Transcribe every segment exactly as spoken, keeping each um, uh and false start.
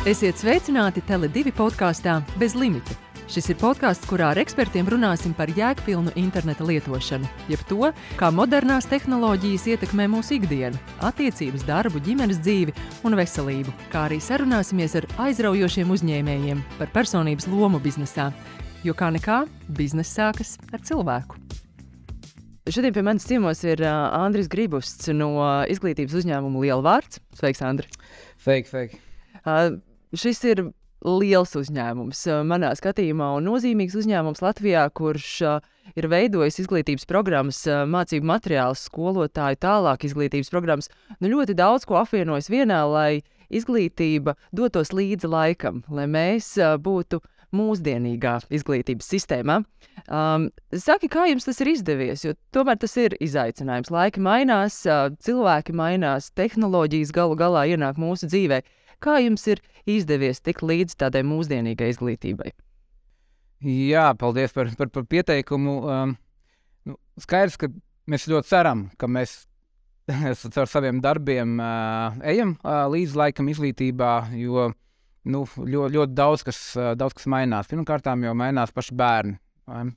Esiet sveicināti Tele divi podkāstā Bez limita. Šis ir podkāsts, kurā ar ekspertiem runāsim par jēgpilnu interneta lietošanu, jeb to, kā modernās tehnoloģijas ietekmē mūsu ikdienu, attiecības, darbu, ģimenes dzīvi un veselību, kā arī sarunāsimies ar aizraujošiem uzņēmējiem par personības lomu biznesā, jo kā nekā bizness sākas ar cilvēku. Šodien pie manis ciemos ir uh, Andris Gribusts no izglītības uzņēmuma Lielvārds. Sveiks, Andri! Sveiki, sveiki! Uh, šis ir liels uzņēmums uh, manā skatījumā un nozīmīgs uzņēmums Latvijā, kurš uh, ir veidojis izglītības programmas, uh, mācību materiālus, skolotāju, tālāk izglītības programmas. Nu, ļoti daudz ko apvienojas vienā, lai izglītība dotos līdzi laikam, lai mēs uh, būtu mūsdienīgā izglītības sistēmā. Um, saki, kā jums tas ir izdevies, jo tomēr tas ir izaicinājums. Laiki mainās, uh, cilvēki mainās, tehnoloģijas galu galā ienāk mūsu dzīvē. Kā jums ir izdevies tikt līdz tādai mūsdienīgai izglītībai? Jā, paldies par, par, par pieteikumu. Um, nu, skaidrs, ka mēs ļoti ceram, ka mēs ar saviem darbiem uh, ejam uh, līdz laikam izglītībā, jo nu, ļoti, ļoti daudz, kas, uh, daudz kas mainās. Pirmkārtām jau mainās paši bērni.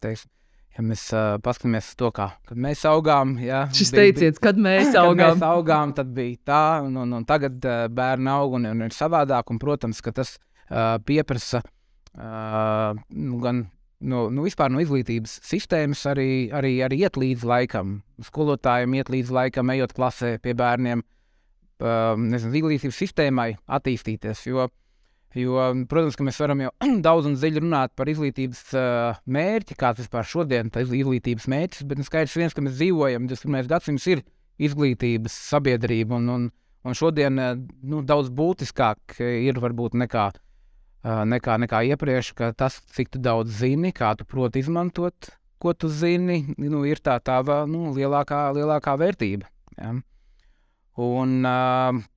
Teiks, ja mēs uh, paskatāmies to, kā kad mēs augām. Jā, Šis teiciens, kad mēs augām. Kad mēs augām, tad bija tā, un, un, un tagad uh, bērni aug un, un ir savādāk, un, protams, ka tas uh, pieprasa uh, nu, gan no, nu, vispār no izglītības sistēmas arī, arī, arī iet līdz laikam. Skolotājiem iet līdz laikam, ejot klasē pie bērniem, uh, nezinu, izglītības sistēmai attīstīties, jo Jo, protams, ka mēs varam jau daudz un dziļi runāt par izglītības uh, mērķi, kāds vispār šodien tā izglītības mērķis, bet skaidrs viens, ka mēs dzīvojam, divdesmit pirmais gadsimts ir izglītības sabiedrība, un, un, un šodien uh, nu, daudz būtiskāk ir varbūt nekā, uh, nekā, nekā iepriekš, ka tas, cik tu daudz zini, kā tu proti izmantot, ko tu zini, nu, ir tā tava nu, lielākā, lielākā vērtība. Ja? Un uh,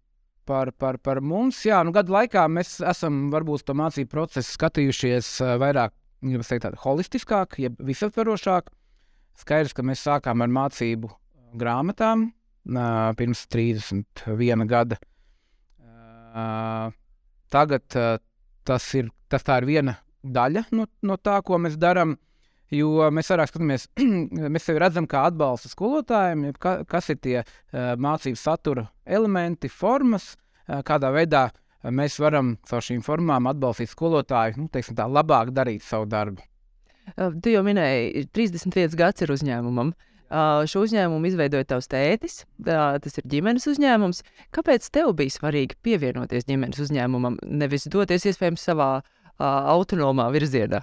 Par, par, par mums, jā, nu gadu laikā mēs esam varbūt to mācību procesu skatījušies uh, vairāk, ja mēs teikt tādu holistiskāk, jeb visaptverošāk. Skaidrs, ka mēs sākām ar mācību grāmatām uh, pirms trīsdesmit viena gada. Uh, tagad uh, tas, ir, tas tā ir viena daļa no, no tā, ko mēs darām. Jo mēs vairāk skatāmies, mēs sevi redzam kā atbalsta skolotājiem, ka, kas ir tie uh, mācību satura elementi, formas, uh, kādā veidā uh, mēs varam caur šīm formām atbalstīt skolotāju, nu, teiksim tā, labāk darīt savu darbu. Uh, tu jau minēji, trīsdesmit viens gads ir uzņēmumam. Uh, šo uzņēmumu izveidoja tavs tētis, uh, tas ir ģimenes uzņēmums. Kāpēc tev bija svarīgi pievienoties ģimenes uzņēmumam, nevis doties iespējams savā uh, autonomā virzienā?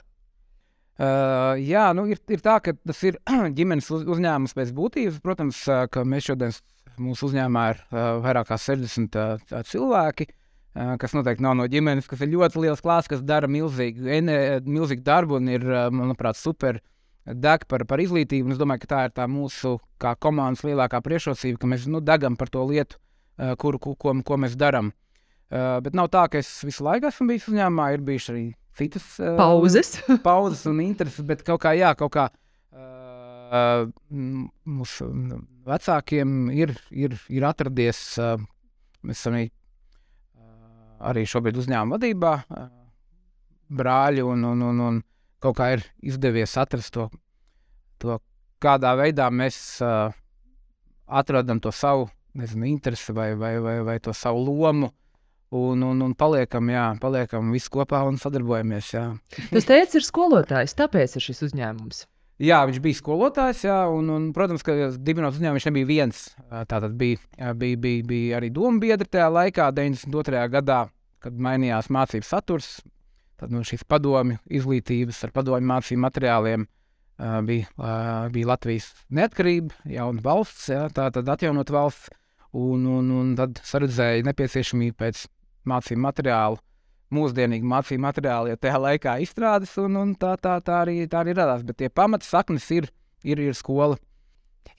Uh, jā, nu ir, ir tā, ka tas ir ģimenes uz, uzņēmums pēc būtības. Protams, uh, ka mēs šodien mūsu uzņēmumā ir uh, vairāk kā sešdesmit uh, cilvēki, uh, kas noteikti nav no ģimenes, kas ir ļoti liels klāsts, kas dara milzīgu, ene, milzīgu darbu un ir, uh, manuprāt, super deg par, par izglītību. Un es domāju, ka tā ir tā mūsu kā komandas lielākā priekšrocība, ka mēs nu, degam par to lietu, uh, kur, ko, ko, ko mēs darām. Uh, bet nav tā, ka es visu laiku esmu bijis uzņēmumā, ir bijuši arī citas uh, pauzes. pauzes un intereses, bet kaut kā, jā, kaut kā uh, mūsu vecākiem ir, ir, ir atradies, uh, mēs esam arī, uh, arī šobrīd uzņēmuma vadībā, uh, brāļi, un, un, un, un kaut kā ir izdevies atrast to, to kādā veidā mēs uh, atradam to savu, nezinu, interesi vai, vai, vai, vai to savu lomu. Un, un, un paliekam, jā, paliekam visi kopā un sadarbojamies, jā. Tas teicis ir skolotājs, tāpēc ir šis uzņēmums. Jā, viņš bija skolotājs, jā, un, un protams, ka dibinot uzņēmumu viņš nebija viens. Tātad bija, bija, bija, bija arī dombiedri tajā laikā, deviņdesmit otrajā gadā, kad mainījās mācību saturs. Tad no šīs padomju izglītības ar padomju mācību materiāliem bija, bija Latvijas neatkarība, jauna valsts, jā, tātad atjaunot valsts, un, un, un tad saredzēja nepieciešamību pēc mācību materiālu, mūsdienīgi mācību materiāli, ja tajā laikā izstrādes, un, un tā, tā, tā, arī, tā arī radās. Bet tie pamata saknes ir, ir, ir skola.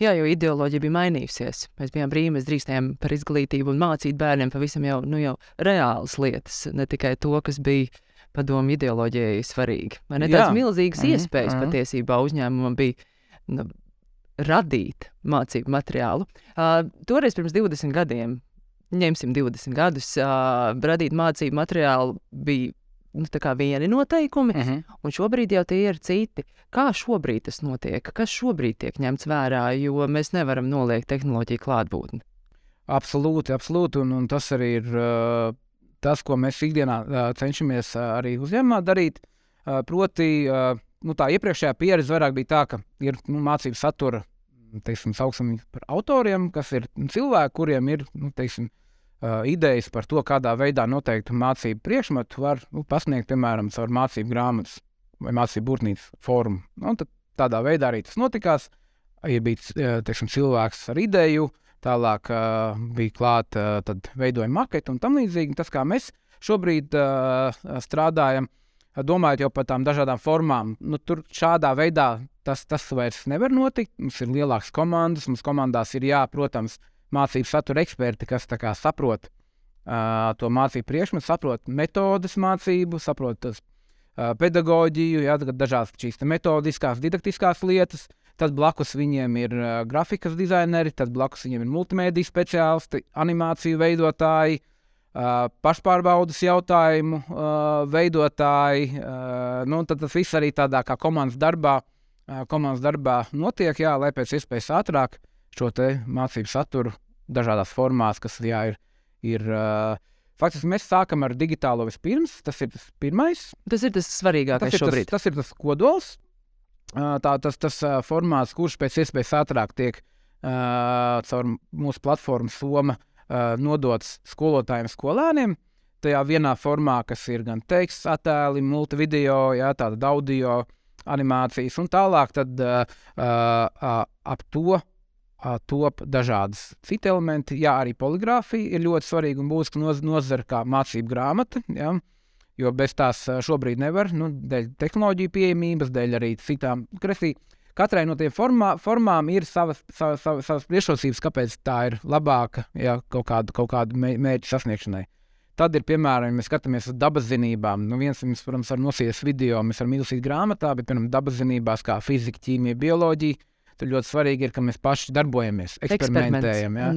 Jā, jo ideoloģija bija mainījusies. Mēs bijām brīvi, mēs drīkstējām par izglītību un mācīt bērniem pavisam jau, nu, jau reālas lietas, ne tikai to, kas bija padomu ideoloģijai svarīgi. Vai ne tāds milzīgas mm-hmm. iespējas mm-hmm. patiesībā uzņēmumam bija nu, radīt mācību materiālu. Uh, toreiz pirms divdesmit gadiem ņemsim divdesmit gadus, uh, radīt mācību materiālu bija nu, tā kā vieni noteikumi, Uh-huh. un šobrīd jau tie ir citi. Kā šobrīd tas notiek? Kas šobrīd tiek ņemts vērā, jo mēs nevaram noliegt tehnoloģiju klātbūtni? Absolūti, absolūti, un, un tas arī ir uh, tas, ko mēs ikdienā uh, cenšamies uh, arī uzņēmumā darīt. Uh, proti, uh, nu, tā iepriekšējā pieredze vairāk bija tā, ka ir nu, mācību satura, teiksim, sauksim par autoriem, kas ir nu, cilvēki, kuriem ir, nu, teiksim, uh, idejas par to, kādā veidā noteikti mācību priekšmetu var nu, pasniegt, piemēram, caur mācību grāmatas vai mācību burtnīcas formu. Nu, tad tādā veidā arī tas notikās. Ja bija, teiksim, cilvēks ar ideju, tālāk uh, bija klāt, uh, tad veidoja maketu un tam līdzīgi. Tas, kā mēs šobrīd uh, strādājam, domājot jau par tām dažādām formām, nu, tur šādā veidā tas, tas vairs nevar notikt. Mums ir lielākas komandas, mums komandās ir jā, protams, mācību satura eksperti, kas tā kā saprot uh, to mācību priekšmetu, saprot metodes mācību, saprot tas, uh, pedagoģiju, jā, dažādas šīs metodiskās, didaktiskās lietas. Tad blakus viņiem ir uh, grafikas dizaineri, tad blakus viņiem ir multimēdiju speciālisti, animāciju veidotāji, uh, pašpārbaudas jautājumu uh, veidotāji. Uh, nu, tad tas viss arī tādā kā komandas darbā, uh, komandas darbā notiek, jā, lai pēc iespējas ātrāk šo te mācību saturu dažādās formās, kas jā, ir, ir uh, faktiski mēs sākam ar digitālo vispirms, tas ir tas pirmais. Tas ir tas svarīgākais tas ir šobrīd. Tas, tas ir tas kodols, uh, tā, tas, tas uh, formāts, kurš pēc iespējas ātrāk tiek uh, caur mūsu platformu Soma uh, nodots skolotājiem skolēniem. Tajā vienā formā, kas ir gan teksts, attēli, multivideo, jā, tāda audio, animācijas un tālāk, tad uh, uh, ap to top dažādas citi elementi. Jā, arī poligrāfija ir ļoti svarīga un būtiska noz, nozara kā mācību grāmata, jā, jo bez tās šobrīd nevar, nu, dēļ tehnoloģiju pieejamības, dēļ arī citām. Kresī, katrai no tiem formā, formām ir savas, savas, savas, savas priekšrocības, kāpēc tā ir labāka, jā, kaut kādu, kaut kādu mērķu sasniegšanai. Tad ir, piemēram, ja mēs skatāmies uz dabas zinībām. Nu, viens, mēs, protams, var nosīties video, mēs varam izlasīt grāmatā, bet, piemēram, dabas zinībās kā fizika, ķīmija, bioloģija, tad ļoti svarīgi ir, ka mēs paši darbojamies, eksperimentējam. Ja?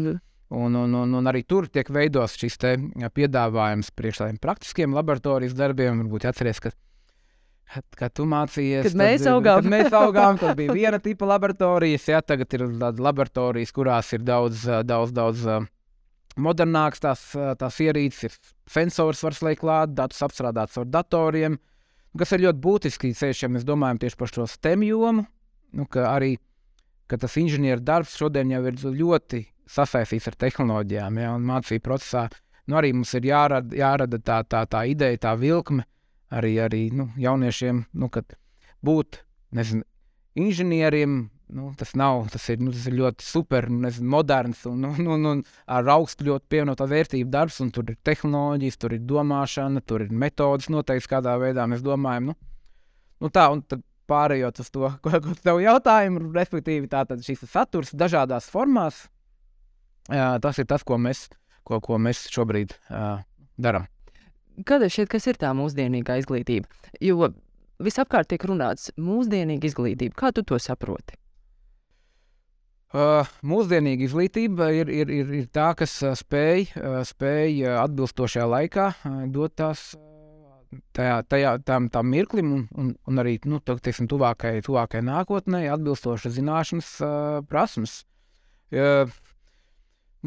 Un, un, un, un arī tur tiek veidos šis te piedāvājums priekš tādiem praktiskiem laboratorijas darbiem. Varbūt atceries, ka, kad tu mācījies, kad mēs augām, kad mēs augām, tad bija viena tipa laboratorijas. Ja? Tagad ir laboratorijas, kurās ir daudz, daudz, daudz modernāks tās, tās ierīces, ir sensors var slēgt klāt, datus apstrādāts ar datoriem, kas ir ļoti būtiski, ja mēs domājam tieši par šo STEM jomu, nu, ka arī ka tas inženieru darbs šodien jau ir ļoti sasaistīts ar tehnoloģijām, ja, un mācību procesā nu, arī mums ir jārada, jārada tā, tā, tā ideja, tā vilkme arī, arī nu, jauniešiem, nu, kad būt, nezinu, inženieriem, nu, tas nav, tas ir, nu, tas ir ļoti super, nezinu, moderns un, un, un, un ar augstu ļoti pievienotā vērtību darbs, un tur ir tehnoloģijas, tur ir domāšana, tur ir metodas noteikti, kādā veidā mēs domājam, nu, nu tā, un tad pārējot uz to, ko, ko tev jautājumu, respektīvi tātad šis saturs dažādās formās, jā, tas ir tas, ko mēs, ko, ko mēs šobrīd uh, darām. Kāda šķiet, kas ir tā mūsdienīgā izglītība? Jo visapkārt tiek runāts mūsdienīga izglītība. Kā tu to saproti? Uh, mūsdienīga izglītība ir, ir, ir, ir tā, kas uh, spēj, uh, spēj uh, atbilstošajā laikā uh, dot tās tajā, tajā tam, tam mirklim un, un, un arī nu, teiksim, tuvākai, tuvākai nākotnē atbilstošas zināšanas uh, prasmes. Uh,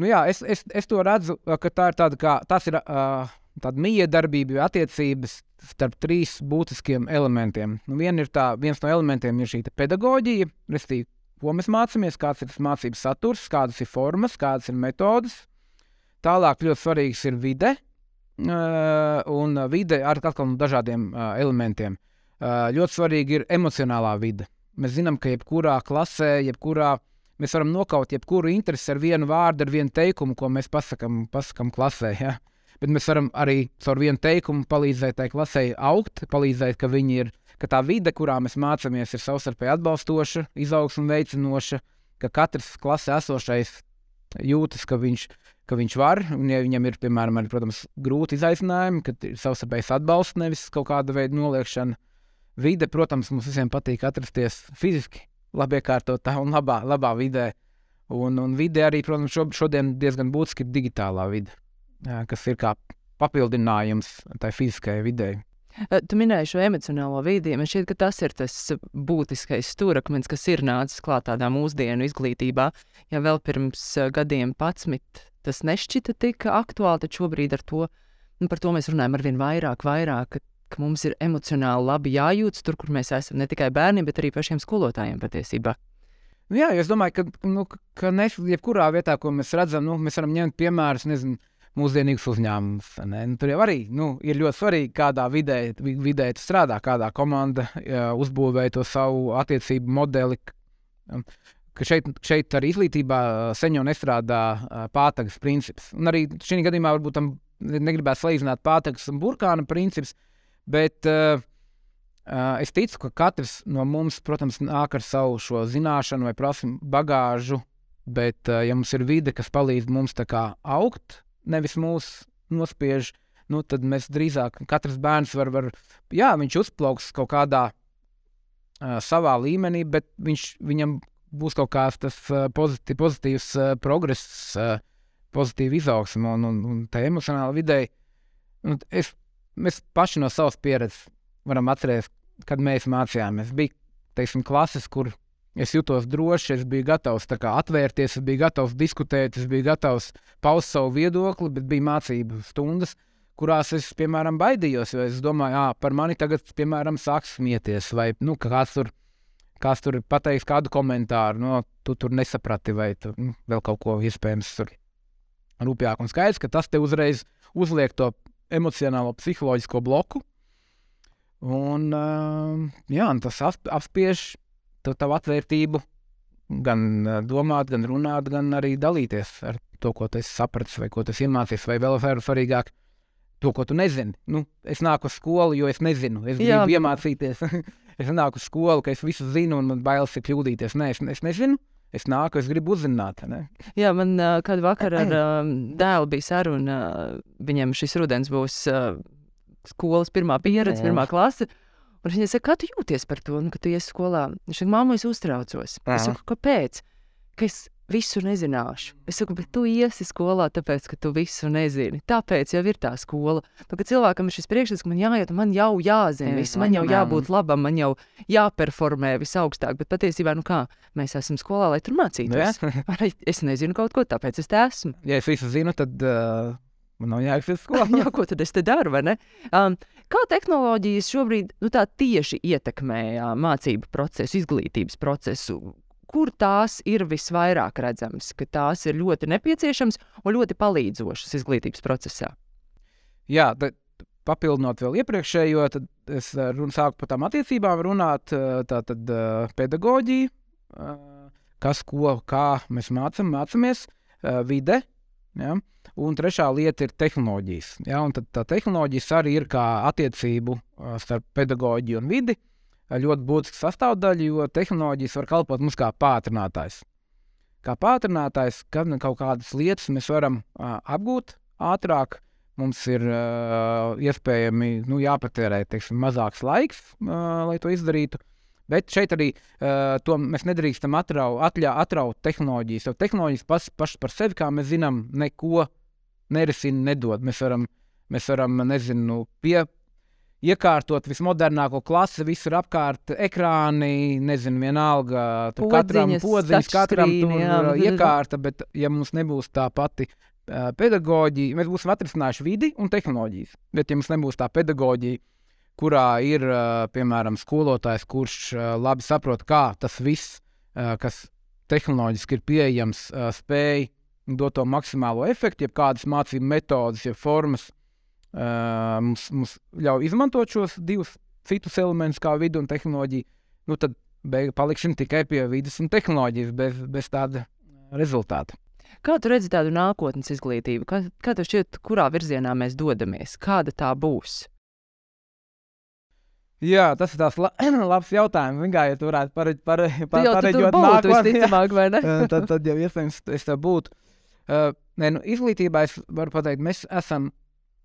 nu jā, es, es, es to redzu, ka tā ir tāda kā, tas ir uh, tāda miedarbība, attiecības starp trīs būtiskiem elementiem. Nu, vien ir tā, viens no elementiem ir šī pedagoģija, restīvi, ko mēs mācāmies, kāds ir tas mācības saturs, kādas ir formas, kādas ir metodas. Tālāk ļoti svarīgs ir vide, Uh, un vide ar atkal no dažādiem uh, elementiem. Uh, ļoti svarīgi ir emocionālā vide. Mēs zinām, ka jebkurā klasē, jebkurā, mēs varam nokaut jebkuru interesi ar vienu vārdu, ar vienu teikumu, ko mēs pasakam, pasakam klasē. Ja? Bet mēs varam arī caur vienu teikumu palīdzēt tai klasē augt, palīdzēt, ka viņi ir, ka tā vide, kurā mēs mācāmies, ir savstarpēji atbalstoša, izaugsme veicinoša, ka katrs klasē esošais jūtas, ka viņš ka viņš var, un ja viņam ir, piemēram, arī, protams, grūti izaicinājumi, kad ir savstarpējs atbalsts, nevis kaut kāda veida noliekšana. Vide, protams, mums visiem patīk atrasties fiziski labiekārtotā un labā, labā vidē. Un, un vide arī, protams, šo, šodien diezgan būtiski ir digitālā vide, kas ir kā papildinājums tai fiziskajai videi. Tu minēji šo emocionālo vidi. Man šķiet, ka tas ir tas būtiskais stūrakmenis, kas ir nācis klāt tādā mūsdienu izglītībā. Ja vēl pirms gadiem padsmit tas nešķita tik aktuāli, tad šobrīd ar to, nu, par to mēs runājam arvien vairāk, vairāk, ka, ka mums ir emocionāli labi jājūtas tur, kur mēs esam, ne tikai bērniem, bet arī pašiem skolotājiem patiesībā. Jā, es domāju, ka, nu, ka ne, jebkurā vietā, ko mēs redzam, nu, mēs varam ņemt piemērus, nezinu, mūsdienīgus uzņēmumus. Nu, tur jau arī nu, ir ļoti svarīgi, kādā vidē, vidē tu strādā, kādā komanda jā, uzbūvēja to savu attiecību modeli. Ka šeit, šeit arī izglītībā sen jau nestrādā pātagas princips. Un arī šī gadījumā varbūt tam negribētu salīdzināt pātagas un burkāna princips, bet uh, es ticu, ka katrs no mums, protams, nāk ar savu šo zināšanu vai prasmu bagāžu, bet uh, ja mums ir vide, kas palīdz mums tā kā augt, nevis mūs nospiež, nu, tad mēs drīzāk, katrs bērns var, var jā, viņš uzplauks kaut kādā uh, savā līmenī, bet viņš, viņam būs kaut kāds tas uh, pozitīv, pozitīvs uh, progress, uh, pozitīva izaugsme un, un, un tā emocionāla videi. Un es, mēs paši no savas pieredzes varam atcerēties, kad mēs mācījāmies. Bija, teiksim, klases, kur es jutos droši, es biju gatavs tā kā atvērties, es biju gatavs diskutēt, es biju gatavs paust savu viedokli, bet bija mācību stundas, kurās es, piemēram, baidījos, jo es domāju, ā, par mani tagad, piemēram, sāks smieties, vai, nu, kāds tur, kāds tur pateiks kādu komentāru, no, tu tur nesaprati, vai tu, nu, vēl kaut ko iespējams tur rūpjāk. Un skaidrs, ka tas te uzreiz uzliek to emocionālo, psiholoģisko bloku, un, uh, jā, un tas apspiež to tavu atvērtību gan domāt, gan runāt, gan arī dalīties ar to, ko tu esi sapratis, vai ko tu esi iemācījies, vai vēl svarīgāk, to, ko tu nezini. Nu, es nāku uz skolu, jo es nezinu, es Jā. gribu iemācīties. Es nāku uz skolu, ka es visu zinu un man bailes ir kļūdīties. Nē, es, es nezinu, es nāku, es gribu uzzināt. Ne? Jā, man uh, kādu vakaru ar uh, dēlu bija saruna, uh, viņam šis rudens būs uh, skolas pirmā pieredze, pirmā klase. Un viņa saka, kā tu jūties par to, nu, ka tu iesi skolā? Viņš saka, māmu, es uztraucos. Aha. Es saku, kāpēc? Ka es visu nezināšu. Es saku, bet tu iesi skolā tāpēc, ka tu visu nezini. Tāpēc jau ir tā skola. Nu, ka cilvēkam ir šis priekšstats, ka man jāiet, man jau jāzina viss, man jau jābūt labam, man jau jāperformē visaugstāk. Bet patiesībā, nu kā, mēs esam skolā, lai tur mācītos. Es nezinu kaut ko, tāpēc es te esmu. Ja es visu zinu, tad uh, man nav jāiet skolā. Jā, ko tad es te daru, vai ne? Um, kā tehnoloģijas šobrīd nu, tā tieši ietekmē jā, mācību procesu, izglītības procesu? Kur tās ir visvairāk redzamas, ka tās ir ļoti nepieciešams un ļoti palīdzošas izglītības procesā? Jā, tad papildinot vēl iepriekšējo, tad es run, sāku par tām attiecībām runāt, tā tad pedagoģija, kas, ko, kā mēs mācam, mācamies, vide, ja? Un trešā lieta ir tehnoloģijas. Ja? Un tad tā tehnoloģijas arī ir kā attiecību starp pedagoģiju un vidi, ļoti būtiska sastāvdaļa, jo tehnoloģijas var kalpot mums kā pātrinātājs. Kā pātrinātājs, kad kaut kādas lietas mēs varam uh, apgūt ātrāk, mums ir uh, iespējami nu, jāpatērē teiksim, mazāks laiks, uh, lai to izdarītu. Bet šeit arī uh, to mēs nedrīkstam atrau, atļā, atraut tehnoloģijas, jo tehnoloģijas pašas paš par sevi, kā mēs zinām, neko nerisina, nedod. Mēs varam, mēs varam nezinu, pie iekārtot vismodernāko klasi, visur apkārt ekrāni, nezinu, vienalga, tur katram podziņas, katram tur jā, iekārta, bet ja mums nebūs tā pati uh, pedagoģija, mēs būsim atrisinājuši vidi un tehnoloģijas, bet ja mums nebūs tā pedagoģija, kurā ir, uh, piemēram, skolotājs, kurš uh, labi saprot, kā tas viss, uh, kas tehnoloģiski ir pieejams, uh, spēj dot to maksimālo efektu, jeb kādas mācību metodas, jeb formas, Uh, mums, mums ļauj izmantot šos divus citus elementus kā vidu un tehnoloģiju, nu tad beig, palikšana tikai pie vidas un tehnoloģijas bez, bez tāda rezultāta. Kā tu redzi tādu nākotnes izglītību? Kā, kā tev šķiet, kurā virzienā mēs dodamies? Kāda tā būs? Jā, tas ir tās la labs jautājums. Vienkārši, ja tu varētu pare, pare, pare, jau pareģot būtu, nākotni, visticamāk, vai ne? tad, tad jau iespējams es tā būtu. Uh, ne, nu, izglītībā es varu pateikt, mēs esam,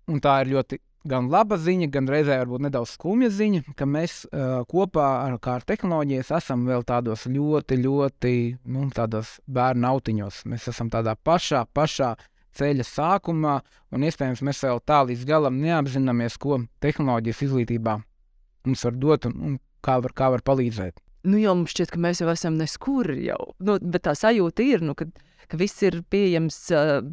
un tā ir ļoti gan laba ziņa, gan reizē varbūt nedaudz skumja ziņa, ka mēs uh, kopā ar, ar tehnoloģijas esam vēl tādos ļoti, ļoti nu, tādos bērnu autiņos. Mēs esam tādā pašā, pašā ceļa sākumā, un iespējams mēs vēl tā līdz galam neapzināmies, ko tehnoloģijas izglītībā mums var dot un, un kā, var, kā var palīdzēt. Nu, jau mums šķiet, ka mēs jau esam neskur jau, nu, bet tā sajūta ir, nu, ka, ka viss ir pieejams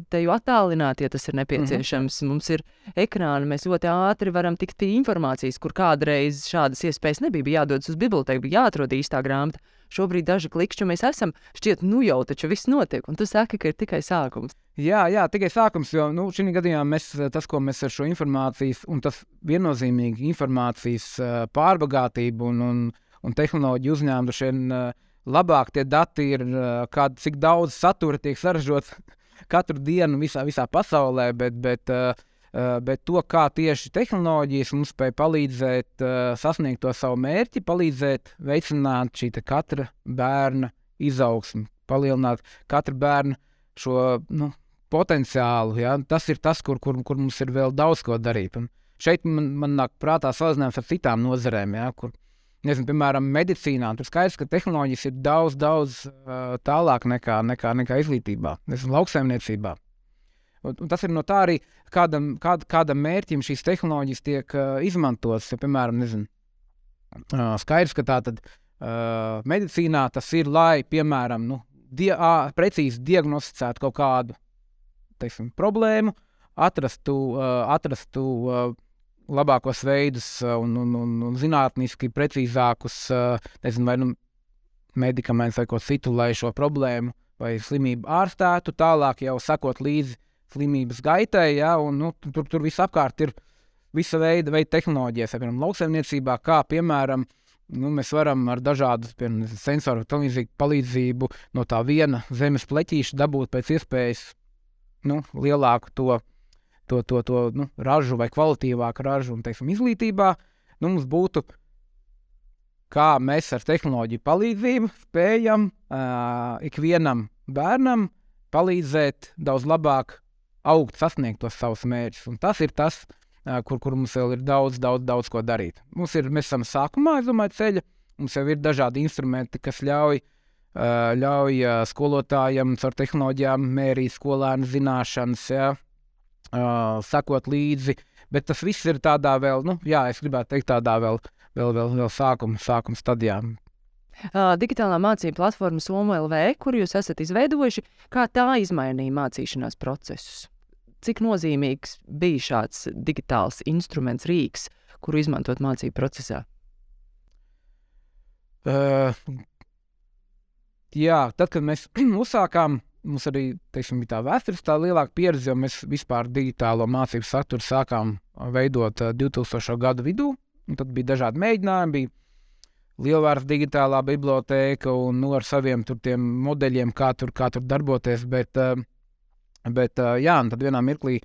te jau attālināti, ja tas ir nepieciešams. Mm-hmm. Mums ir ekrāni, mēs ļoti ātri varam tikt pie informācijas, kur kādreiz šādas iespējas nebija, bija jādodas uz bibliotēku, bija jāatrod īstā grāmata. Šobrīd daži klikšķi mēs esam, šķiet, nu jau taču viss notiek, un tu saki, ka ir tikai sākums. Jā, jā, tikai sākums, jo nu, šī gadījumā mēs, tas, ko mēs ar šo informācijas, un tas viennozīmīgi informācijas pārbagātību un, un, un tehnoloģiju uzņēmumu, šiem labāk tie dati ir, kād, cik daudz satura tiek saražots katru dienu visā, visā pasaulē, bet, bet, bet to, kā tieši tehnoloģijas mums spēj palīdzēt sasniegt to savu mērķi, palīdzēt veicināt šī katra bērna izaugsmi, palielināt katra bērna šo, nu, potenciālu, ja? Tas ir tas, kur, kur, kur mums ir vēl daudz ko darīt. Un šeit man, man nāk prātā salīdzinājums ar citām nozarēm, ja? Kur, nezinu, piemēram, medicīnā. Tur skaidrs, ka tehnoloģijas ir daudz, daudz uh, tālāk nekā, nekā, nekā izglītībā, nezinu, lauksaimniecībā. Un, un tas ir no tā arī, kādam, kād, kādam mērķim šīs tehnoloģijas tiek uh, izmantotas. Ja, piemēram, nezinu, uh, skaidrs, ka tā tad uh, medicīnā tas ir, lai, piemēram, nu, die, uh, precīzi diagnosticētu kaut kādu teiksim, problēmu, atrastu, uh, atrastu uh, labākos veidus uh, un, un, un, un zinātniski precīzākus, uh, nezinu, vai nu medikamentus vai ko citu, lai šo problēmu vai slimību ārstētu, tālāk jau sakot līdzi slimības gaitai, ja, un nu, tur, tur viss apkārt ir visa veida, veida tehnoloģijas, piemēram, lauksaimniecībā, kā, piemēram, nu, mēs varam ar dažādu piemēram, sensoru televīziju palīdzību no tā viena zemes pleķīša dabūt pēc iespējas nu, lielāku to, to, to, to nu, ražu vai kvalitīvāku ražu un, teiksim, izglītībā, nu, mums būtu, kā mēs ar tehnoloģiju palīdzību spējam uh, ikvienam bērnam palīdzēt daudz labāk augt, sasniegt tos savus mērķus. Un tas ir tas, uh, kur, kur mums vēl ir daudz, daudz, daudz ko darīt. Mums ir, mēs esam sākumā, es domāju, ceļa, mums jau ir dažādi instrumenti, kas ļauj Uh, ļauj uh, skolotājiem ar tehnoloģijām mērīt skolēnu zināšanas, ja, uh, sakot līdzi, bet tas viss ir tādā vēl, nu, jā, es gribētu teikt tādā vēl, vēl, vēl, vēl sākuma, sākuma stadijā. Uh, digitālā mācību platforma Soma L V, kur jūs esat izveidojuši, kā tā izmainīja mācīšanās procesus? Cik nozīmīgs bija šāds digitāls instruments, rīks, kuru izmantot mācību procesā? Uh, Jā, tad, kad mēs uzsākām, mums arī, teiksim, bija tā vēstures tā lielāka pieredze, jo mēs vispār digitālo mācību saturu sākām veidot divtūkstošo gadu vidū, un tad bija dažādi mēģinājumi, bija Lielvārds digitālā bibliotēka un nu, ar saviem tur tiem modeļiem, kā tur, kā tur darboties, bet, bet jā, un tad vienā mirklī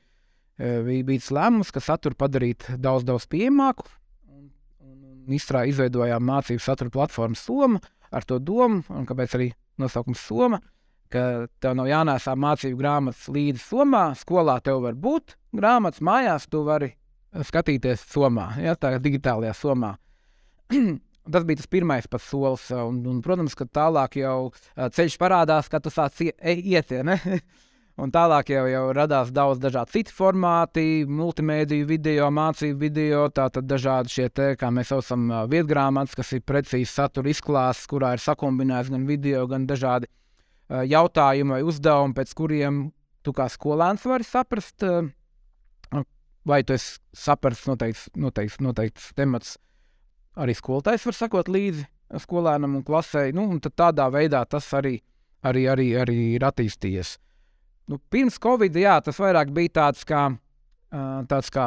bija bijis lēmums, ka saturu padarīt daudz, daudz pieejamāku, un, un izstrā, izveidojām mācību satura platformu Soma, ar to domu, un kāpēc arī nosaukums Soma, ka tev nav jānēsā mācību grāmatas līdzi Somā, skolā tev var būt grāmatas, mājās tu vari skatīties Somā, ja, tā digitālajā Somā. Tas bija tas pirmais pats solis, un, un, protams, ka tālāk jau ceļš parādās, ka tu sāc iet, ja, ne? Un tālāk jau, jau radās daudz dažādi citi formāti, multimēdiju video, mācību video, tātad dažādi šie te, kā mēs saucam, vietgrāmatas, kas ir precīzi satura izklāsts, kurā ir sakombinēts gan video, gan dažādi uh, jautājumi vai uzdevumi, pēc kuriem tu kā skolēns vari saprast, uh, vai tu esi saprast noteikts, noteikts, noteikts temats, arī skolotājs var sakot līdzi skolēnam un klasē, nu, un tad tādā veidā tas arī, arī, arī, arī ir attīstījies. Nu, pirms Covid, jā, tas vairāk bija tāds kā, uh, tāds kā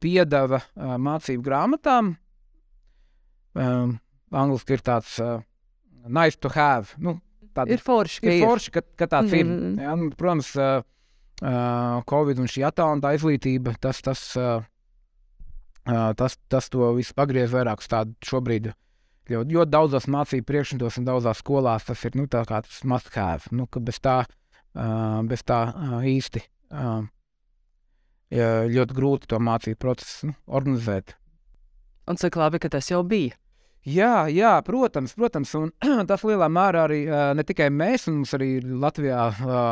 piedeva uh, mācību grāmatām. Um, angliski ir tāds uh, nice to have. Nu, tāda, ir forši, ka ir. Ir forši, ka, ka tāds mm-hmm. ir. Jā, nu, protams, uh, uh, Covid un šī attālinātā izglītība, tas, tas, uh, uh, tas, tas to visu pagriez vairāk uz tādu šobrīd. Ļoti, ļoti daudzos mācību priekšmetos un daudzās skolās tas ir, nu, tā kā tas must have. Nu, ka bez tā Uh, bez tā uh, īsti uh, ja, ļoti grūti to mācību procesu nu, organizēt. Un cik labi, ka tas jau bija. Jā, jā, protams, protams, un tas lielā mērā arī ne tikai mēs, un mums arī Latvijā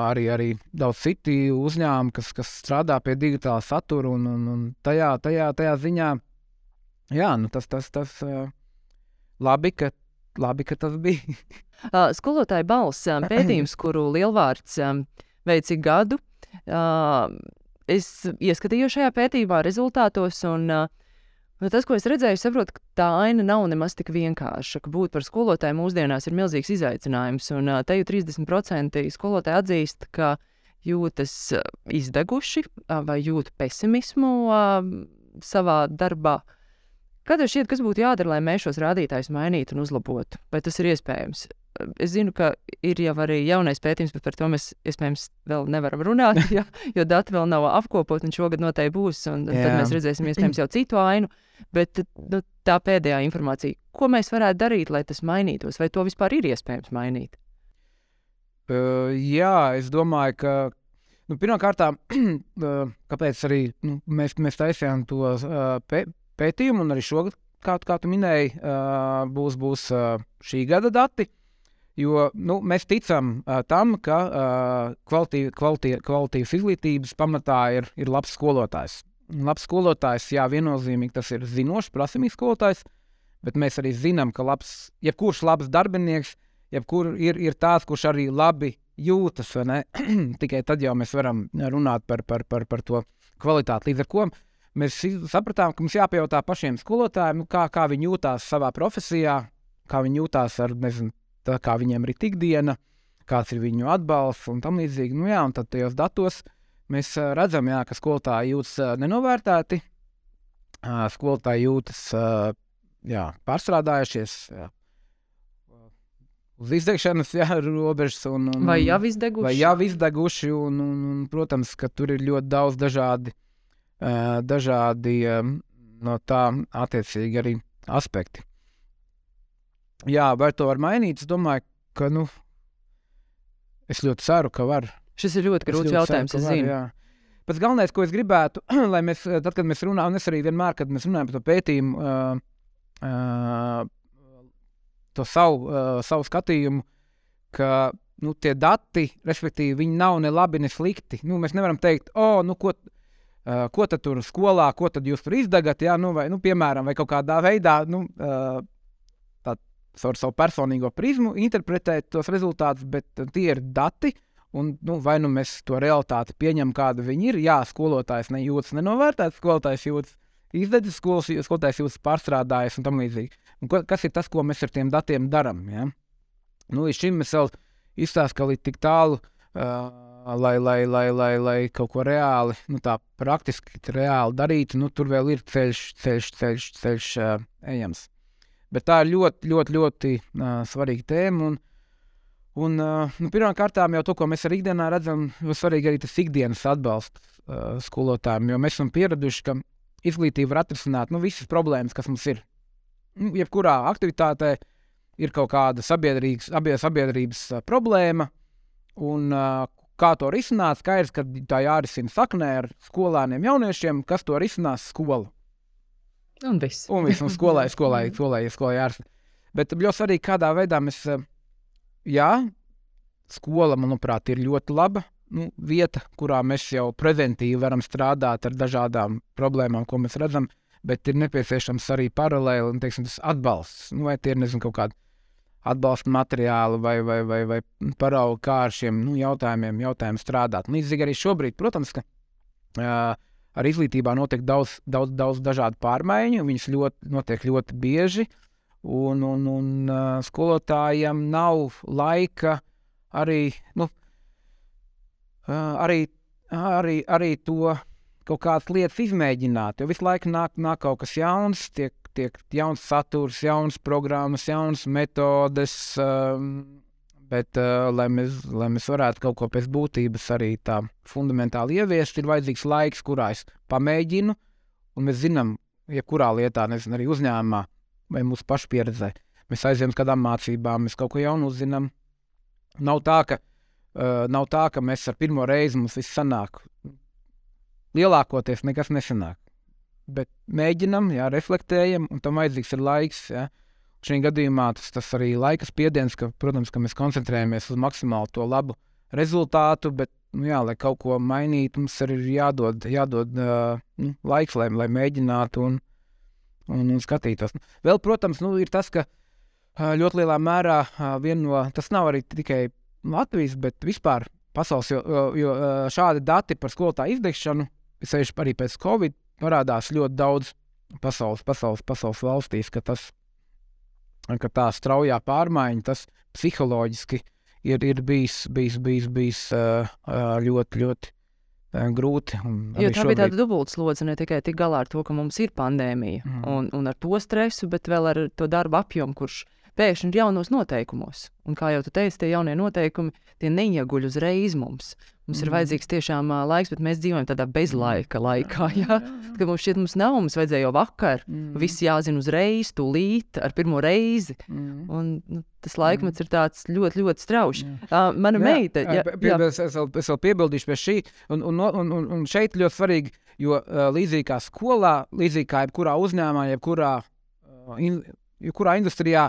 arī, arī daudz citi uzņēmumi, kas, kas strādā pie digitāla satura, un, un, un tajā, tajā, tajā ziņā, jā, nu tas, tas, tas labi, ka, labi, ka tas bija. Skolotāja balss pētījums, kuru Lielvārds veic ik gadu, es ieskatījos šajā pētījumā rezultātos, un Nu, tas, ko es redzēju, saprotu, ka tā aina nav nemaz tik vienkārša, ka būt par skolotāju mūsdienās ir milzīgs izaicinājums, un uh, te jau trīsdesmit procenti skolotāji atzīst, ka jūtas uh, izdeguši uh, vai jūt pesimismu uh, savā darbā. Kā tev šķiet, kas būtu jādara, lai mēs šos rādītājus mainītu un uzlabotu? Vai tas ir iespējams? Es zinu, ka ir jau arī jaunais pētījums, bet par to mēs iespējams vēl nevaram runāt, ja, jo dati vēl nav apkopot, un šogad noteikti būs, un Jā. Tad mēs redzēsim iespējams jau citu ainu. Bet nu, tā pēdējā informācija, ko mēs varētu darīt, lai tas mainītos, vai to vispār ir iespējams mainīt? Uh, jā, es domāju, ka nu, pirmkārtām, uh, kāpēc arī nu, mēs, mēs taisījām to uh, pē, pētījumu, un arī šogad, kā, kā tu minēji, uh, būs, būs uh, šī gada dati. Jo nu, mēs ticam uh, tam, ka uh, kvalitīv, kvalitīv, kvalitīvas izglītības pamatā ir, ir labs skolotājs. Labs skolotājs, jā, viennozīmīgi tas ir zinošs, prasmīgs skolotājs, bet mēs arī zinām, ka labs, jebkurš labs darbinieks, jebkur ir, ir tāds, kurš arī labi jūtas, vai ne? Tikai tad jau mēs varam runāt par, par, par, par to kvalitāti. Līdz ar ko mēs sapratām, ka mums jāpajautā pašiem skolotājiem, kā, kā viņi jūtās savā profesijā, kā viņi jūtās ar, nezinu, tā, kā viņiem ir ikdiena, kāds ir viņu atbalsts un tam līdzīgi. Nu jā, un tad tajos datos mēs redzam, jā, ka skolotāji jūtas nenovērtēti, skolotāji jūtas jā, pārstrādājušies, jā, uz izdegšanas jā, robežas. Un, un, vai jau izdeguši. Vai jau izdeguši, un, un, un, protams, ka tur ir ļoti daudz dažādi, dažādi no tā attiecīgi arī aspekti. Jā, vai to var mainīt? Es domāju, ka, nu, es ļoti ceru, ka var. Šis ir ļoti grūts jautājums, ceru, es zinu. Var, Pēc galvenais, ko es gribētu, lai mēs, tad, kad mēs runājam, un es arī vienmēr, kad mēs runājam par to pētījumu, uh, uh, to savu, uh, savu skatījumu, ka, nu, tie dati, respektīvi, viņi nav ne labi, ne slikti. Nu, mēs nevaram teikt, o, oh, nu, ko, uh, ko tad tur skolā, ko tad jūs tur izdagat, jā, nu, vai, nu, piemēram, vai kaut kādā veidā, nu, uh, ar savu personīgo prizmu interpretēt tos rezultātus, bet tie ir dati, un nu, vai nu mēs to realitāti pieņem, kāda viņi ir. Jā, skolotājs nejūtas nenovērtēts, skolotājs jūtas izdedzis, skolotājs jūtas pārstrādājis un tam līdzīgi. Un ko, kas ir tas, ko mēs ar tiem datiem daram? Ja? Nu, līdz šim mēs vēl izstāst, ka līdz tik tālu, uh, lai, lai, lai, lai, lai kaut ko reāli, nu tā praktiski reāli darītu, nu tur vēl ir ceļš, ceļš, ceļš, ceļš uh, ejams. Bet tā ir ļoti, ļoti, ļoti uh, svarīga tēma. Un, un uh, nu, pirmām kārtām jau to, ko mēs arī ikdienā redzam, ir svarīgi arī tas ikdienas atbalsts uh, skolotājiem. Jo mēs esam pieraduši, ka izglītība var atrisināt nu, visas problēmas, kas mums ir. Nu, jebkurā aktivitātē ir kaut kāda sabiedrības, sabiedrības uh, problēma. Un uh, kā to risināt, skaidrs, ka tā jārisina saknē ar skolēniem jauniešiem, kas to risinās skolu. Un viss. Un viss, un skolai, skolai, skolai, skolai jārisina. Bet ļoti svarīgi, kādā veidā mēs, jā, skola, manuprāt, ir ļoti laba nu, vieta, kurā mēs jau preventīvi varam strādāt ar dažādām problēmām, ko mēs redzam, bet ir nepieciešams arī paralēli, un, teiksim, tas atbalsts. Nu, vai tie ir, nezinu, kaut kādi atbalsta materiāli vai, vai, vai, vai paraugi, kā ar šiem nu, jautājumiem, jautājumiem strādāt. Līdzīgi arī šobrīd, protams, ka uh, ar izglītībā notiek daudz, daudz, daudz dažādu pārmaiņu, viņas ļoti, notiek ļoti bieži, un, un, un uh, skolotājiem nav laika arī, nu, uh, arī, arī, arī to kaut kādas lietas izmēģināt, jo visu laiku nāk, nāk kaut kas jauns, tiek, tiek jauns saturs, jauns programmas, jauns metodes, um, bet, uh, lai, mēs, lai mēs varētu kaut ko pēc būtības arī tā fundamentāli ieviest, ir vajadzīgs laiks, kurā es pamēģinu, un mēs zinām, ja kurā lietā, nezinu, arī uzņēmumā vai mūsu pašu pieredzē, mēs aizējam uz kādām mācībām, mēs kaut ko jaunu uzzinām. Nav tā, ka, uh, nav tā, ka mēs ar pirmo reizi mums viss sanāk. lielākoties nekas nesanāk. Bet mēģinam, jā, reflektējam, un tam vajadzīgs ir laiks. Jā. Šī gadījumā tas, tas arī laika spiediens, ka, protams, ka mēs koncentrējamies uz maksimāli to labu rezultātu, bet, nu, jā, lai kaut ko mainītu, mums arī ir jādod, jādod uh, nu, laiks, lai, lai mēģinātu un, un, un skatītos. Vēl, protams, nu, ir tas, ka uh, ļoti lielā mērā uh, vien no, tas nav arī tikai Latvijas, bet vispār pasaules, jo, jo šādi dati par skolotāju izdegšanu, sevišķi arī pēc Covid, parādās ļoti daudz pasaules, pasaules, pasaules valstīs, ka, tas, ka tā straujā pārmaiņa, tas psiholoģiski ir, ir bijis, bijis, bijis, bijis ļoti, ļoti grūti. Jo tā šobrīd... bija tāda dubultslodze, ne tikai tik galā ar to, ka mums ir pandēmija mm. un, un ar to stresu, bet vēl ar to darba apjomu, kurš pēkšņi ir jaunos noteikumos. Un kā jau tu teici, tie jaunie noteikumi, tie neieguļ uzreiz mums. Mums mm. ir vajadzīgs tiešām uh, laiks, bet mēs dzīvojam tādā bezlaika laikā. Jā? Kad mums šķiet, mums nav, mums vajadzēja jau vakar. Mm. Viss jāzina uzreiz, tūlīt, ar pirmo reizi. Mm. Un nu, tas laikmets mm. ir tāds ļoti, ļoti straušs. Uh, mana jā, meita... Jā, pie, jā. Es, vēl, es vēl piebildīšu pie šī. Un, un, un, un, un šeit ļoti svarīgi, jo uh, līdzīgi kā skolā, līdzīgi kā jebkurā uzņēmumā, jebkurā, uh, in, jebkurā industrijā,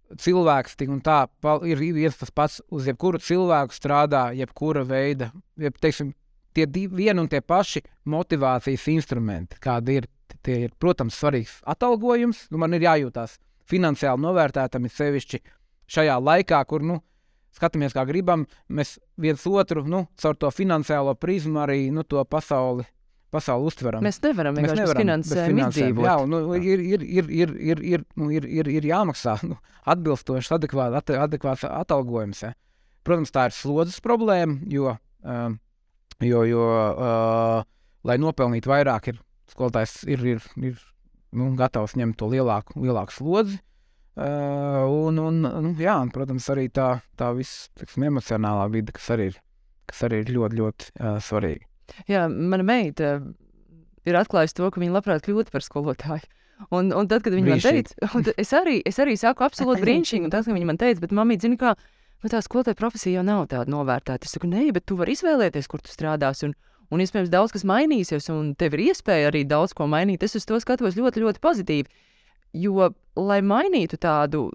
cilvēks tik un tā ir viens tas pats, uz jebkuru cilvēku strādā jebkura veida, jeb, teiksim, tie vien un tie paši motivācijas instrumenti, kādi ir, tie ir, protams, svarīgs atalgojums, nu man ir jājūtās finansiāli novērtētam, ir sevišķi šajā laikā, kur, nu, skatāmies kā gribam, mēs viens otru, nu, caur to finansiālo prizmu arī, nu, to pasauli pasauli uztveram. Mēs nevaram vienkārši bez finansēm izdzīvot. Jā, nu, ir, ir, ir, ir, ir, ir, nu, ir, ir, ir jāmaksā nu, atbilstošs, adekvāts, adekvāts atalgojums. Ja. Protams, tā ir slodzes problēma, jo, uh, jo, jo uh, lai nopelnītu vairāk, ir skolotājs ir, ir, ir nu, gatavs ņemt to lielāku, lielāku slodzi. Uh, un, un, nu, jā, un, protams, arī tā, tā viss, tiksim, emocionālā vide, kas arī ir, kas arī ir ļoti, ļoti uh, svarīga. Jā, mana meita ir atklājusi to, ka viņa labprāt kļūtu par skolotāju. Un, un tad, kad viņa man teica, es arī, es arī saku absolūti brīnišķīgi, un tas, ka viņa man teica, bet mamīt, zini kā, tā skolotāja profesija jau nav tāda novērtēta. Es saku, nē, bet tu vari izvēlēties, kur tu strādāsi, un, un iespējams daudz kas mainīsies, un tev ir iespēja arī daudz ko mainīt. Es uz to skatos ļoti, ļoti pozitīvi, jo, lai mainītu tādu,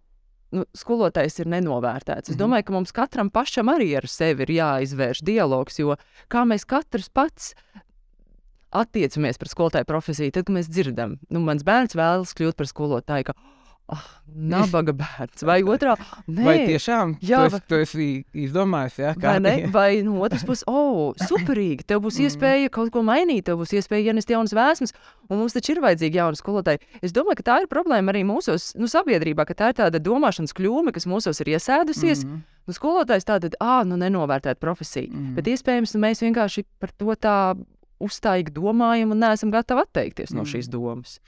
nu, skolotājs ir nenovērtēts. Es domāju, ka mums katram pašam arī ar sevi ir jāizvērš dialogs, jo kā mēs katrs pats attiecamies par skolotāju profesiju, tad, kad mēs dzirdam, nu, mans bērns vēlas kļūt par skolotāju, ka oh, nabaga bērns, vai otrā, nē. Vai tiešām jā, tu, esi, tu esi izdomājis, jā? Kā? Vai, ne? Vai no otras puses, o, oh, superīgi, tev būs iespēja kaut ko mainīt, tev būs iespēja ienest jaunas vēsmas, un mums taču ir vajadzīgi jauni skolotāji. Es domāju, ka tā ir problēma arī mūsos, nu, sabiedrībā, ka tā ir tāda domāšanas kļūme, kas mūsos ir iesēdusies. Mm-hmm. Nu, skolotājs tātad, ā, nu, nenovērtēt profesiju, mm-hmm. bet iespējams, nu, mēs vienkārši par to tā uzstājīgi domājam un neesam gatavi atteikties no šīs domas.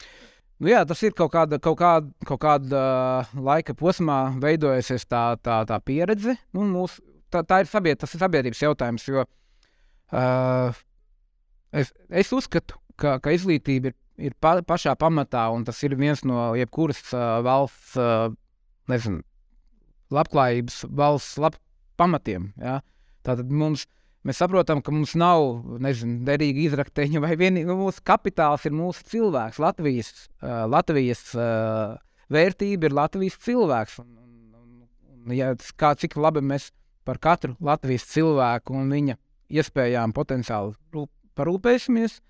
Nu jā, tas ir kaut kāda, kaut kāda, kaut kāda uh, laika posmā veidojusies tā, tā, tā pieredze. Nu, mūs, tā, tā ir sabied, tas ir sabiedrības jautājums, jo uh, es, es uzskatu, ka, ka izglītība ir, ir pa, pašā pamatā, un tas ir viens no jebkuras uh, valsts, uh, nezinu, labklājības valsts lab pamatiem. Ja? Tātad mums Mēs saprotam, ka mums nav, nezinu, derīga izrakteņa vai vienīgi, nu, mūsu kapitāls ir mūsu cilvēks, Latvijas, uh, Latvijas uh, vērtība ir Latvijas cilvēks. Un, un, un, ja, kā, cik labi mēs par katru Latvijas cilvēku un viņa iespējām potenciāli rūp, parūpēsimies,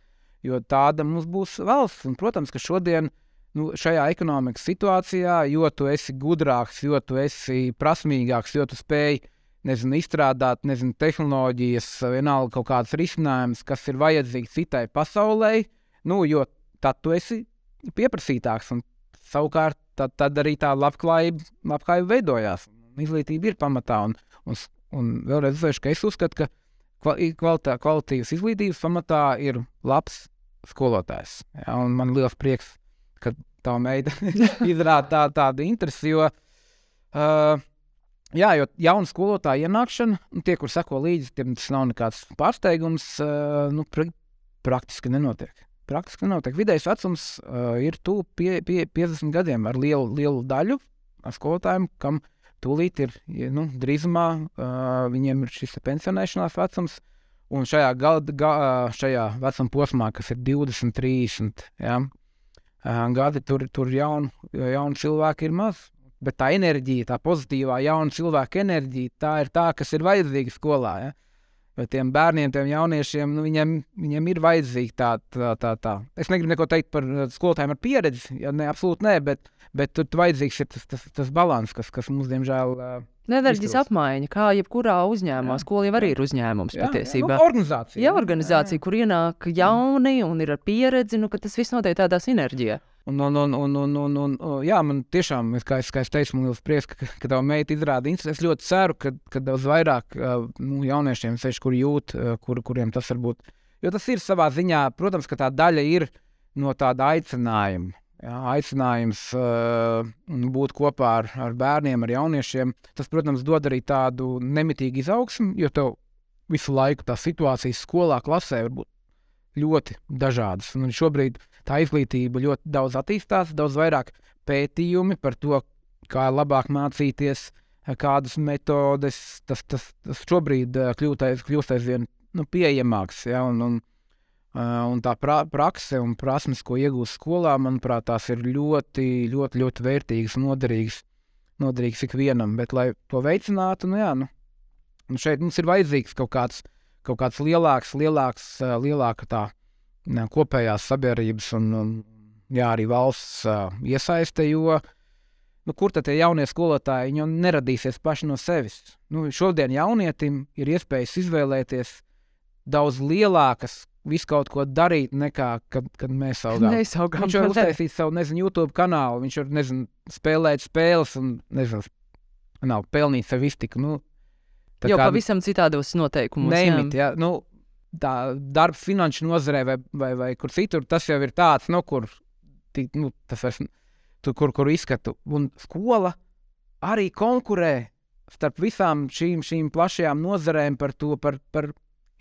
jo tāda mums būs valsts. Un, protams, ka šodien nu, šajā ekonomikas situācijā, jo tu esi gudrāks, jo tu esi prasmīgāks, jo tu spēj nezinu, izstrādāt, nezinu, tehnoloģijas, vienalga kaut kādas risinājumus, kas ir vajadzīgi citai pasaulē, nu, jo tad tu esi pieprasītāks, un savukārt tad, tad arī tā labklājība, labklājība veidojās. Izglītība ir pamatā, un, un, un vēlreiz uzsvēršu, ka es uzskatu, ka kvalitā, kvalitīvas izglītības pamatā ir labs skolotājs. Ja, un man liels prieks, ka tā meita izrāda tā, tādu interesi, jo uh, Jā, jo jauna skolotāja ienākšana, un tie, kur seko līdzi, tiem tas nav nekāds pārsteigums, uh, nu, pra, praktiski nenotiek. Praktiski nenotiek. Vidējais vecums uh, ir tuvu pie, pie piecdesmit gadiem ar lielu, lielu daļu ar skolotājiem, kam tūlīt ir, nu, drīzumā uh, viņiem ir šis pensionēšanās vecums, un šajā, gal, ga, šajā vecuma posmā, kas ir divdesmit, trīsdesmit, ja, gadi, tur, tur jauni jaun cilvēki ir maz. Bet tā enerģija, tā pozitīvā jauna cilvēka enerģija, tā ir tā, kas ir vajadzīga skolā. Ja? Bet tiem bērniem, tiem jauniešiem, nu, viņiem, viņiem ir vajadzīga tā, tā, tā, tā. Es negribu neko teikt par skolotājiem ar pieredzi, ja ne, absolūti nē, bet, bet tur vajadzīgs ir tas, tas, tas balans, kas, kas mums, diemžēl, enerģijas apmaiņa, kā jebkurā uzņēmumā. Skola jau arī ir uzņēmums jā, patiesībā. Jā, nu, organizācija. Jā, organizācija, jā, jā. Kur ienāk jauni un ir ar pieredzi, nu, ka tas viss notiek tādā sinerģijā. Un, un, un, un, un, un, un, jā, man tiešām, kā es, kā es teicu, man liels prieks, ka, ka tava meita izrāda interesi. Es ļoti ceru, ka, ka daudz vairāk nu, jauniešiem, seši, kur jūt, kur, kuriem tas var būt. Jo tas ir savā ziņā, protams, ka tā daļa ir no tāda aicinājuma. Jā, aicinājums uh, būt kopā ar, ar bērniem, ar jauniešiem. Tas, protams, dod arī tādu nemitīgu izaugsmu, jo tev visu laiku tā situācijas skolā, klasē var būt ļoti dažādas. Un šobrīd tā izglītība ļoti daudz attīstās, daudz vairāk pētījumi par to, kā labāk mācīties, kādas metodes. Tas, tas, tas šobrīd kļūst aizvien nu, pieejamāks. Ja? Un, un, un tā pra, prakse un prasmes, ko iegūst skolā, manuprāt, tās ir ļoti, ļoti, ļoti vērtīgas un noderīgas, noderīgas ikvienam. Bet, lai to veicinātu, nu jā, nu, nu šeit mums ir vajadzīgs kaut kāds kaut kāds lielāks, lielāks, lielāka tā ne, kopējās sabiedrības un, un jā, arī valsts uh, iesaiste, jo nu, kur tad tie jaunie skolotāji, viņi jau neradīsies paši no sevis. Nu, šodien jaunietim ir iespējas izvēlēties daudz lielākas, visu kaut ko darīt, nekā kad, kad mēs augām. Mēs augām. Viņš var uztaisīt savu, nezinu, YouTube kanālu, viņš var, nezinu, spēlēt spēles un, nezinu, nav pelnīt sev iztiku, nu, jau kā, pavisam citādos noteikumos. Neimit, jā. Jā, nu, tā darbs finanšu nozarē vai, vai, vai kur citur, tas jau ir tāds, nu, kur, tī, nu, tas vairs, tu, kur, kur izskatu. Un skola arī konkurē starp visām šīm, šīm plašajām nozarēm par to, par, par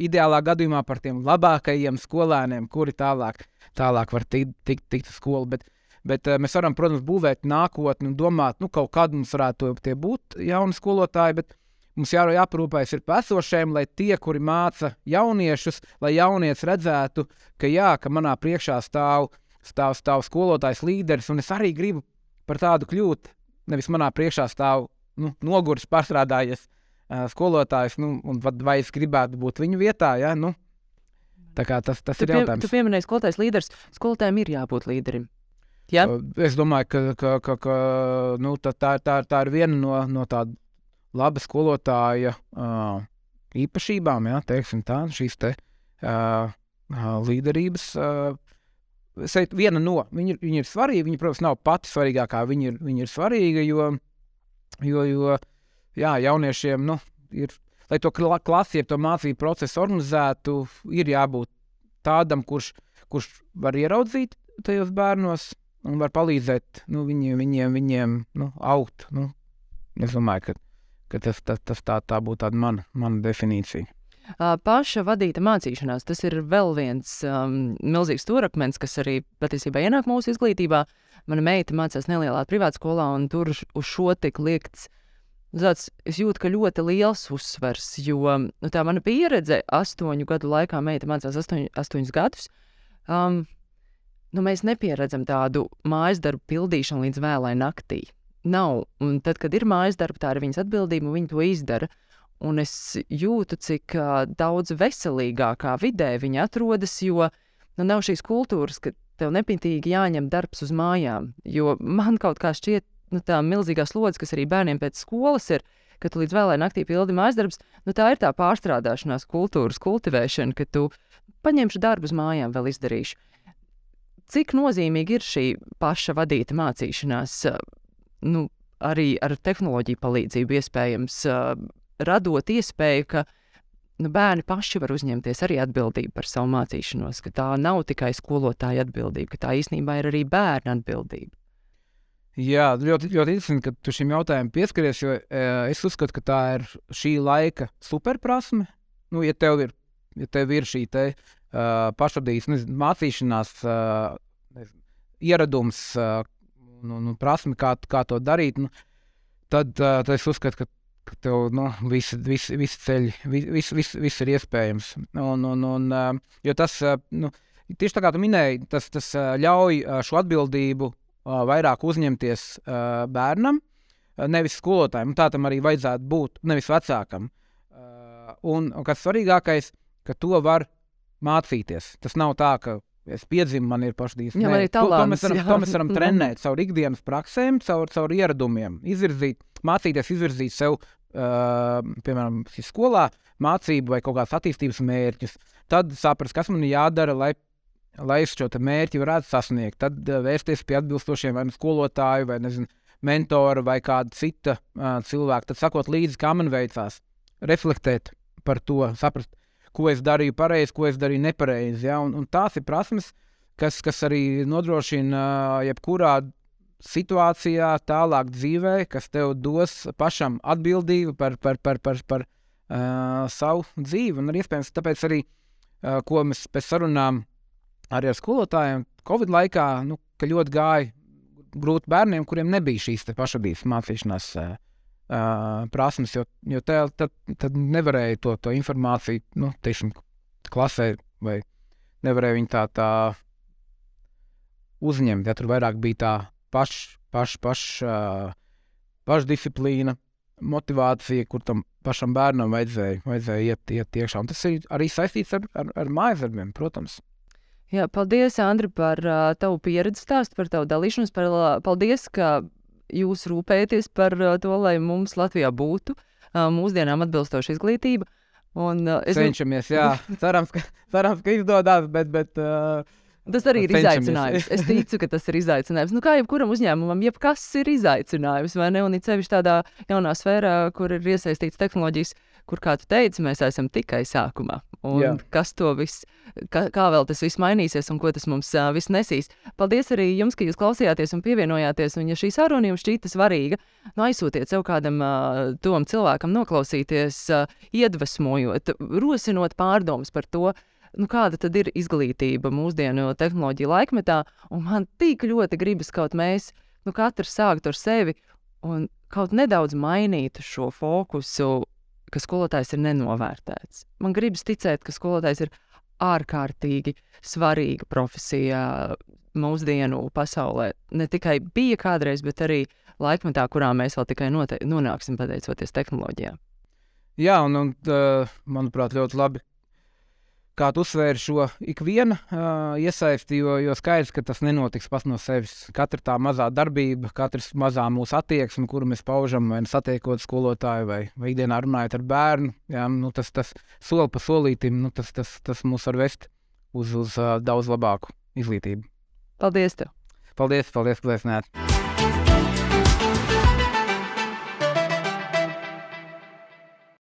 ideālā gadījumā par tiem labākajiem skolēniem, kuri tālāk, tālāk var tikt, tikt, tikt uz skolu. Bet, bet mēs varam, protams, būvēt nākotni un domāt, nu, kaut kad mums varētu tie būt jauni skolotāji, bet mums jā, jāparūpējas ir esošiem, lai tie, kuri māca jauniešus, lai jaunietis redzētu, ka jā, ka manā priekšā stāv, stāv, stāv skolotājs līderis, un es arī gribu par tādu kļūt. Nevis manā priekšā stāv nu, noguris, pārstrādājies uh, skolotājs, nu, un vai es gribētu būt viņu vietā, jā, nu. Tā kā tas, tas tu ir pie, jautājums. Tu pieminēji skolotājs līderis, skolotājiem ir jābūt līderim. Ja? Uh, es domāju, ka, ka, ka, ka nu, tā, tā, tā, tā ir viena no, no tāda laba skolotāja uh, īpašībām, ja, teiksim tā, šīs te uh, uh, līderības. Uh, Seit, viena no, viņa, viņa ir svarīga, viņa, protams, nav pati svarīgākā, viņa ir, viņa ir svarīga, jo, jo, jo jā, jauniešiem, nu, ir, lai to klasi, ja to mācību procesu organizētu, ir jābūt tādam, kurš, kurš var ieraudzīt tajos bērnos un var palīdzēt nu, viņiem, viņiem, viņiem nu, augt. Nu, es domāju, ka ka tas, tas, tas tā, tā būtu tāda mana, mana definīcija. Paša vadīta mācīšanās, tas ir vēl viens um, milzīgs stūrakmens, kas arī patiesībā ienāk mūsu izglītībā. Mana meita mācās nelielā privātskolā, un tur uz šo tik liekts, tāds, es jūtu, ka ļoti liels uzsvers, jo nu, tā mana pieredze astoņu gadu laikā, meita mācās astoņ, astoņus gadus, um, nu, mēs nepieredzam tādu mājas darbu pildīšanu līdz vēlai naktī. Nav, un tad, kad ir mājas darba, tā ir viņas atbildība, un viņi to izdara. Un es jūtu, cik uh, daudz veselīgākā vidē viņi atrodas, jo nu, nav šīs kultūras, ka tev nepintīgi jāņem darbs uz mājām. Jo man kaut kā šķiet, nu, tā milzīgā slodze, kas arī bērniem pēc skolas ir, ka tu līdz vēlai naktī pildi mājas darbs, nu, tā ir tā pārstrādāšanās kultūras kultivēšana, ka tu paņemšu darbu uz mājām vēl izdarīšu. Cik nozīmīgi ir šī paša vadīta mācīšanās? Nu, arī ar tehnoloģiju palīdzību iespējams uh, radot iespēju, ka nu, bērni paši var uzņemties arī atbildību par savu mācīšanos, ka tā nav tikai skolotāja atbildība, ka tā īstenībā ir arī bērna atbildība. Jā, ļoti, ļoti interesanti, ka tu šim jautājumam pieskaries, jo e, es uzskatu, ka tā ir šī laika superprasme. Nu, ja tev ir, ja tev ir šī te uh, pašvadītas nezinu, mācīšanās uh, nezinu, ieradums, uh, Nu, nu, prasmi, kā, kā to darīt, nu, tad, uh, tad es uzskatu, ka, ka tev nu, visi, visi, visi ceļi, viss vis, vis ir iespējams. Un, un, un, jo tas, nu, tieši tā kā tu minēji, tas, tas ļauj šo atbildību vairāk uzņemties bērnam, nevis skolotājiem. Tā tam arī vajadzētu būt, nevis vecākam. Un, un kas svarīgākais, ka to var mācīties. Tas nav tā, ka es piedzimu, man ir pašdīs. Jā, man ir to, to, talants, mēs varam, jā. to mēs varam trenēt caur ikdienas praksēm, caur, caur ieradumiem, izvirzīt, mācīties izvirzīt sev, uh, piemēram, skolā, mācību vai kaut kādas attīstības mērķus. Tad saprast, kas man ir jādara, lai, lai es šo mērķi varētu sasniegt. Tad uh, vērsties pie atbilstošiem vai nu skolotāju, vai nezinu, mentora vai kāda cita uh, cilvēka. Tad sakot līdzi, kā man veicās, reflektēt par to, saprast, ko es darīju pareizi, ko es darīju nepareizi. Ja? Un, un tās ir prasmes, kas, kas arī nodrošina uh, jebkurā situācijā, tālāk dzīvē, kas tev dos pašam atbildību par, par, par, par, par uh, savu dzīvi. Un arī iespējams, tāpēc arī, uh, ko mēs pēc sarunām arī ar skolotājiem Covid laikā, nu, ka ļoti gāja grūti bērniem, kuriem nebija šīs te pašvadības mācīšanās uh, Uh, prasmes, jo, jo te, tad, tad nevarēja to, to informāciju, nu, teiksim, klasē, vai nevarēja viņu tā, tā uzņemt, ja tur vairāk bija tā paš, paš, paš, uh, pašdisciplīna, motivācija, kur tam pašam bērnam vajadzēja, vajadzēja iet, iet iekšā. Un tas ir arī saistīts ar, ar, ar mājasdarbiem, protams. Jā, paldies, Andri, par uh, tavu pieredzi stāstu, par tavu dalīšanos, par, uh, paldies, ka jūs rūpējaties par uh, to, lai mums Latvijā būtu uh, mūsdienām atbilstoša izglītība. Un, uh, es Cenšamies, jā. Cerams, ka, cerams, ka izdodās, bet... bet uh, tas arī ir cenšamies. izaicinājums. Es ticu, ka tas ir izaicinājums. Nu, kā jebkuram uzņēmumam, jebkas ir izaicinājums, vai ne? Un it sevišķi tādā jaunā sfērā, kur ir iesaistīts tehnoloģijas, kur, kā tu teici, mēs esam tikai sākumā. Un jā. kas to viss, kā, kā vēl tas viss mainīsies un ko tas mums uh, viss nesīs. Paldies arī jums, ka jūs klausījāties un pievienojāties. Un ja šī saruna jums šķīta svarīga, nu aizsūtiet sev kādam uh, tom cilvēkam noklausīties, uh, iedvesmojot, rosinot pārdomas par to, nu, kāda tad ir izglītība mūsdienu tehnoloģiju laikmetā. Un man tik ļoti gribas kaut mēs, nu, katrs sākt ar sevi un kaut nedaudz mainīt šo fokusu, ka skolotājs ir nenovērtēts. Man gribas ticēt, ka skolotājs ir ārkārtīgi svarīga profesija mūsdienu pasaulē. Ne tikai bija kādreiz, bet arī laikmetā, kurā mēs vēl tikai note- nonāksim pateicoties tehnoloģijām. Jā, un, un uh, manuprāt, ļoti labi, kā tu uzsvēri šo ikviena uh, iesaisti, jo, jo skaidrs, ka tas nenotiks pats no sevis. Katra tā mazā darbība, katrs mazā mūsu attieksme, kuru mēs paužam, vai satiekot skolotāju, vai, vai ikdienā runājot ar bērnu, jā, nu, tas, tas soli pa solītim, nu, tas, tas, tas mūs var vest uz, uz uh, daudz labāku izglītību. Paldies tev! Paldies, paldies, ka esi nēt!